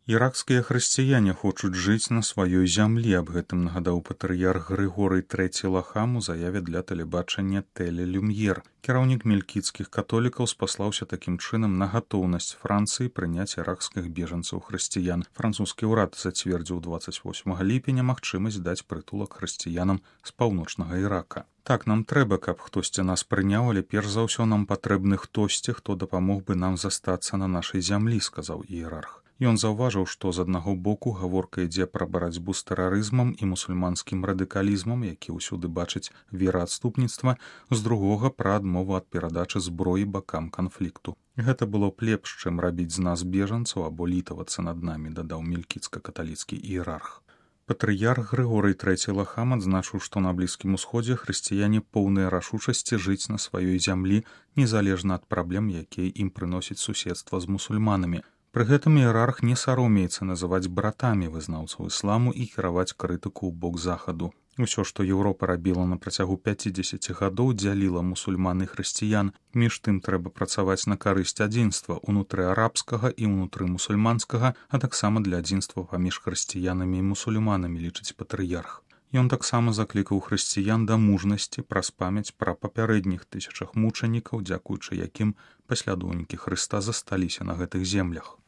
Іракскія хрысціяне хочуць жыць на сваёй зямлі, аб гэтым нагадаў патрыярх Грыгорый III Лахам у заяве для тэлебачання Теле-Люмьер. Кіраўнік мелькіцкіх католікаў спаслаўся такім чынам на гатоўнасць Францыі прыняць іракскіх бежанцаў-хрысціян. Французскі ўрад зацвердзіў 28 ліпеня магчымасць даць прытулак хрысціянам з паўночнага Ірака. Так, нам трэба, каб хтосьці нас прыняў, але перш за ўсё нам патрэбны хтосьці, хто дапамог бы нам застацца на нашай зямлі, сказаў іерарх. Ён заўважыў, што з аднаго боку гаворка ідзе пра барацьбу з тэрарызмам і мусульманскім радыкалізмам, які ўсюды бачыць вераадступніцтва, з другога пра адмову ад перадачы зброі бакам канфлікту. Гэта было б лепш, чым рабіць з нас бежанцаў або літавацца над намі, дадаў мелькіцка-каталіцкі іерарх. Патрыярх Грыгорый III Лахам адзначыў, што на Блізкім Усходзе хрысціяне поўныя рашучасці жыць на сваёй зямлі, незалежна ад праблем, якія ім прыносіць суседства з мусульманамі. Пры гэтым іерарх не саромеецца называць братамі вызнаўцаў ісламу і кіраваць крытыку ў бок захаду. Усё, што Еўропа рабіла на працягу 50 гадоў, дзяліла мусульман і хрысціян. Між тым трэба працаваць на карысць адзінства ўнутры арабскага і ўнутры мусульманскага, а таксама для адзінства паміж хрысціянамі і мусульманамі, лічыць патрыярх. Ён таксама заклікаў хрысціян да мужнасці праз памяць пра папярэдніх тысячах мучанікаў, дзякуючы якім паслядоўнікі Хрыста засталіся на гэтых землях.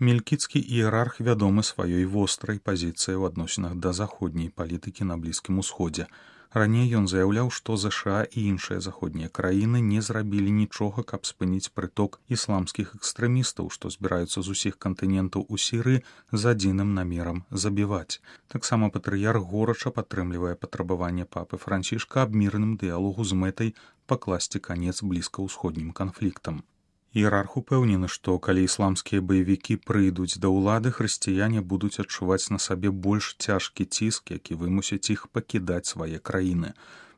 Мелькіцкі іерарх вядомы сваёй вострай пазіцыяй у адносінах да заходняй палітыкі на Блізкім Усходзе. Раней ён заяўляў, што ЗША і іншыя заходнія краіны не зрабілі нічога, каб спыніць прыток ісламскіх экстрэмістаў, што збіраюцца з усіх кантынентаў у Сірыі з адзіным намерам забіваць. Таксама патрыярх горача падтрымлівае патрабаванне папы Францішка аб мірным дыялогу з мэтай пакласці канец блізкаўсходнім канфліктам. Іерарх упэўнены, што калі ісламскія баевікі прыйдуць да ўлады, хрысціяне будуць адчуваць на сабе больш цяжкі ціск, які вымусіць іх пакідаць свае краіны.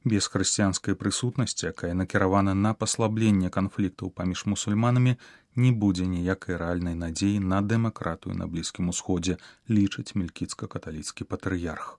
Без хрысціянскай прысутнасці, якая накіравана на паслабленне канфліктаў паміж мусульманамі, не будзе ніякай рэальнай надзеі на дэмакратыю на Блізкім Усходзе, лічыць мелькіцка-каталіцкі патрыярх.